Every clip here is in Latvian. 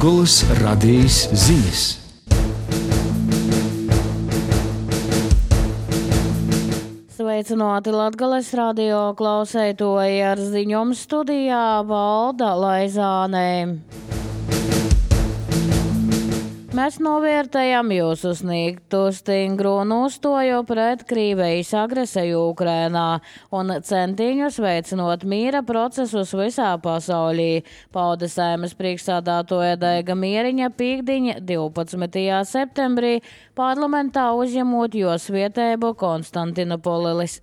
Latgolas radijas ziņas. Sveicināti Latgales radio klausētoji, ar ziņām studijā Valda Laizānē. Mēs novērtējam jūsu sniegtu stingru nostāju pret Krievijas agresiju Ukrainā un centiņus veicinot mīra procesus visā pasaulī, pauda Saeimas priekšsēdētāja Daiga Mieriņa pīkdiņa 12. septembrī parlamentā uzņemot jos vietēbu Konstantinopolis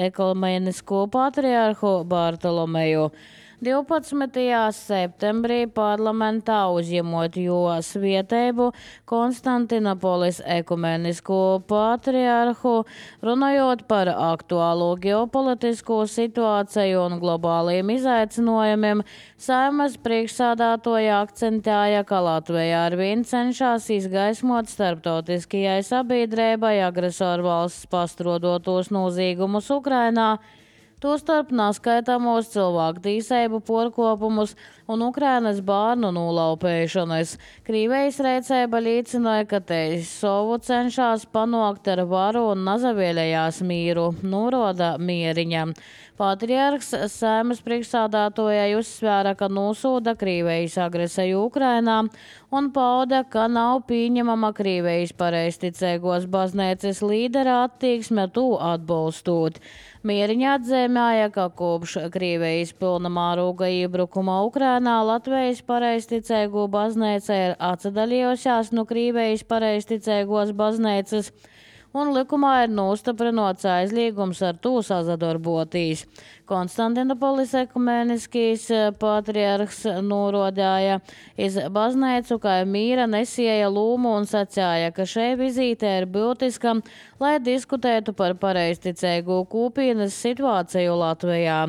ekumenisko patriarhu Bartolomeju. 12. septembrī parlamentā uzņemot jos vietēbu Konstantinopolis ekumenisko patriarhu, runājot par aktuālo ģeopolitisko situāciju un globāliem izaicinājumiem, Saeimas priekšsēdētāja akcentēja, ka Latvija arvien cenšas izgaismot starptautiskajai sabiedrībai agresoru valsts pastrādotos noziegumus Ukrainā, tostarp neskaitamos cilvēku tiesību pārkāpumus un Ukrainas bērnu nolaupīšanas. Krievijas rīcība liecināja, ka te savu cenšas panākt ar varu un nezavēlējās mīru, norāda Mieriņa. Patriarhs Saeimas priekšsēdētājai uzsvēra, ka nosūda Krievijas agresiju Ukrainā un pauda, ka nav pieņemama Krievijas pareizticīgos baznīcas līdera attieksme to atbalstot. Mieriņa atzīmēja, ka kopš Krievijas pilnamēroga iebrukuma Ukrainā Latvijas pareizticīgo baznīca ir atsadalījusies no Krievijas pareizticīgos baznīcas, un likumā ir nostiprināts aizliegums ar to sadarboties. Konstantinopolis ekumeniskīs patriarhs norādīja iz baznīcu, kā mīra nesēja lūmu un sacīja, ka šī vizīte ir būtiska, lai diskutētu par pareizticīgo kopienas situāciju Latvijā.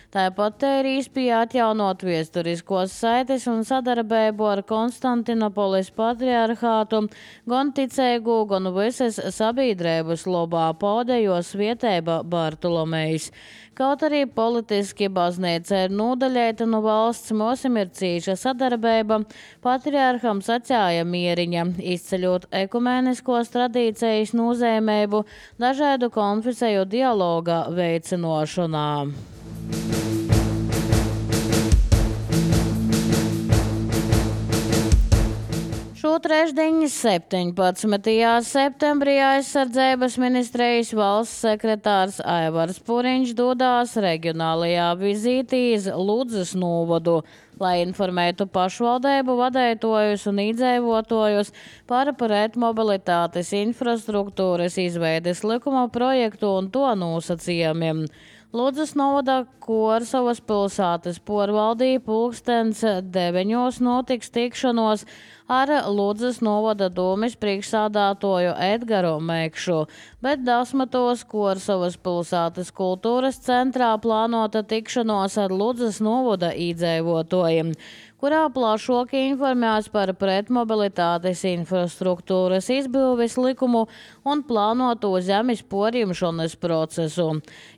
Tāpat te ir īspēja atjaunot viesturiskos saites un sadarbību ar Konstantinopolis patriarhātu, gan ticīgu, gan visas sabiedrības labā pauda jos vietēba Bartolomejs. Kaut arī politiski baznīca ir nodaļēta no valsts, mums ir cīša sadarbība, patriarham sacīja Mieriņa, izceļot ekumeniskos tradīcijas nozīmību dažādu konfesiju dialoga veicinošanā. Šo trešdienu 17. septembrī aizsardzības ministrijas valsts sekretārs Aivars Puriņš dodās reģionālajā vizītī iz Ludzas novadu, lai informētu pašvaldību vadītājus un iedzīvotājus par pretmobilitātes infrastruktūras izveides likuma projektu un to nosacījumiem. Ludzas novada Korsavas pilsētas pārvaldīja pulkstens 9 notiks tikšanos ar Ludzas novada domes priekšsēdētāju Edgaru Mekšu, bet 10. Korsavas pilsētas kultūras centrā plānota tikšanos ar Ludzas novada iedzīvotājiem, kurā plašāk informēs par pretmobilitātes infrastruktūras izbūves likumu un plānoto zemes porņemšanas procesu.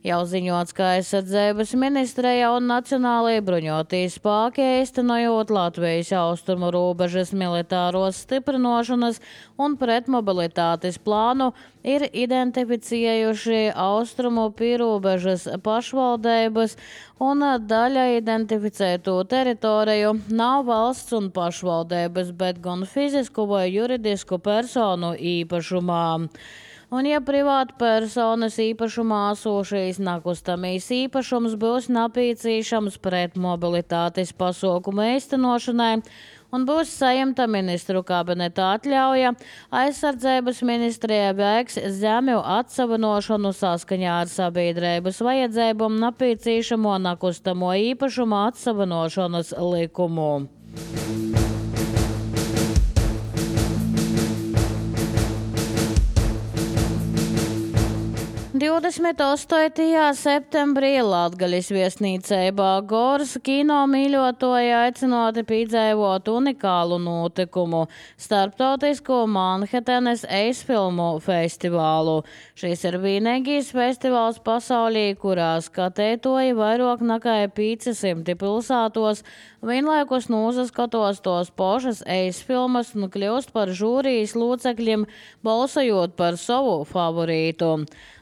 Jau ziņots, ka aizsardzības ministrija un Nacionālajie bruņotie spēki īstenojot Latvijas austrumu robežas militāros stiprināšanas un pretmobilitātes plānu ir identificējuši austrumu pierobežas pašvaldības un daļa identificēto teritoriju nav valsts un pašvaldības, bet gan fizisku vai juridisku personu īpašumā. Un ja privāta personas īpašumā esošais nekustamais īpašums būs nepieciešams pret mobilitātes pasākumu īstenošanai un būs saņemta ministru kabineta atļauja, aizsardzības ministrijā veiks zemju atsavinošanu saskaņā ar sabiedrības vajadzībām nepieciešamo nekustamo īpašumu atsavinošanas likumu. 28. septembrī Latgalis viesnīcībā Goras kino mīļotoji aicināti piedzīvot unikālu notikumu – starptautisko Manhetenes eisfilmu festivālu. Šis ir vienīgais festivāls pasaulī, kurā skatētoji vairāk nekā 500 pilsētos vienlaikus nosaskatos tos pašas eisfilmas un kļūst par žūrijas locekļiem, balsojot par savu favorītu.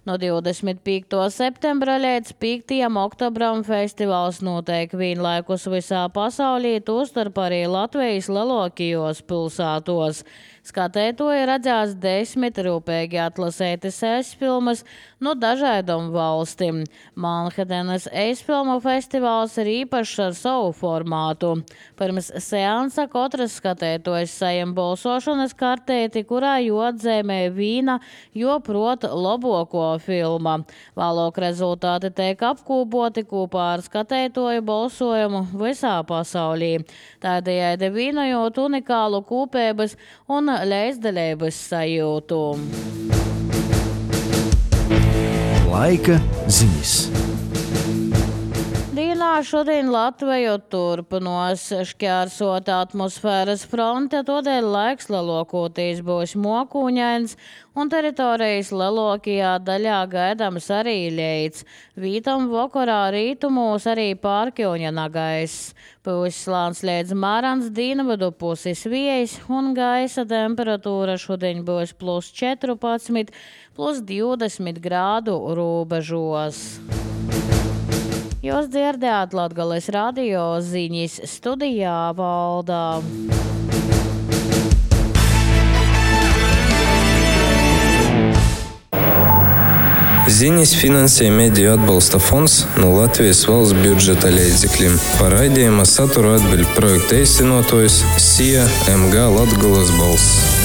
No 25. septembra līdz 5. oktobram festivāls notiek vienlaikus visā pasaulī, tostarp arī Latvijas lielākajos pilsētos. Skatētoji redzēs 10 rūpīgi atlasētas eisfilmas no dažādām valstīm. Manhetenes eisfilmu festivāls ir īpašs ar savu formātu. Pirms seansa katrs skatētojs saņem balsošanas kartēti, kurā atzīmē vīna, proti labāko filma. Vēlāk rezultāti tiek apkopoti kopā ar skatētoju balsojumu visā pasaulī. Tādējādi vienojot unikālu kopības un līdzdalības sajūtu. Laika ziņas. Dienā šodien Latviju turpinās šķērsot atmosfēras fronte, tādēļ laiks lielākoties būs mokūņains un teritorijas lielākajā daļā gaidāms arī lietus. Vītam vakarā rītumos arī pārkļūņa gaiss. Pūs slāns līdz mārans dienvidu puses vējs un gaisa temperatūra šodien būs +14, +20 grādu robežos. Jūs dzirdējāt Latgales radio ziņas, studijā Valdā. Ziņas finansē Mediju atbalsta fonds no Latvijas valsts budžeta līdzekļiem. Par raidījuma saturu atbild projekta īstenotājs SIA MG Latgales balss.